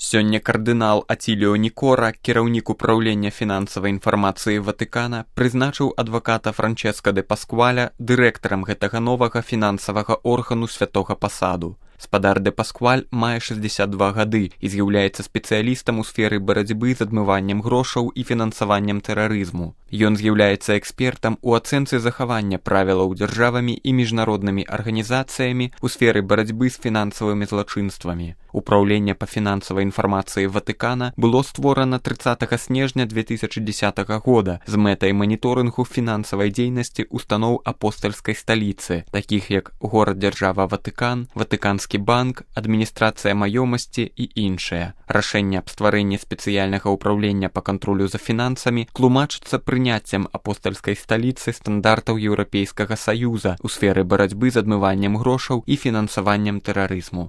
Сёння кардынал Аціліо Нікора, кіраўнік управлення фінансавай інфармацыі Ватыкана, прызначыў адваката Франческа де Паскваля дырэктарам гэтага новага фінансавага органу святога пасаду. Спадар де Паскваль мае 62 гады і з'яўляецца спецыялістам у сферы барацьбы з адмываннем грошаў і фінансаваннем тэрарызму. Ён з'яўляецца экспертам у ацэнцы захавання правілаў дзяржавамі і міжнароднымі арганізацыямі у сферы барацьбы з фінансавымі злачынствамі. Упраўленне па фінансавай інфармацыі Ватыкана было створана 30 снежня 2010 года з мэтай маніторынгу фінансавай дзейнасці устаноў апостальскай сталіцы, такіх як горад-дзяржава Ватыкан, Ватыканскі банк, адміністрацыя маёмасці і іншыя. Рашэнне аб стварэнні спецыяльнага ўпраўлення па кантролю за фінансамі тлумачыцца прыняццем апостальскай сталіцы стандартаў Еўрапейскага саюза ў сферы барацьбы з адмываннем грошаў і фінансаваннем тэрарызму.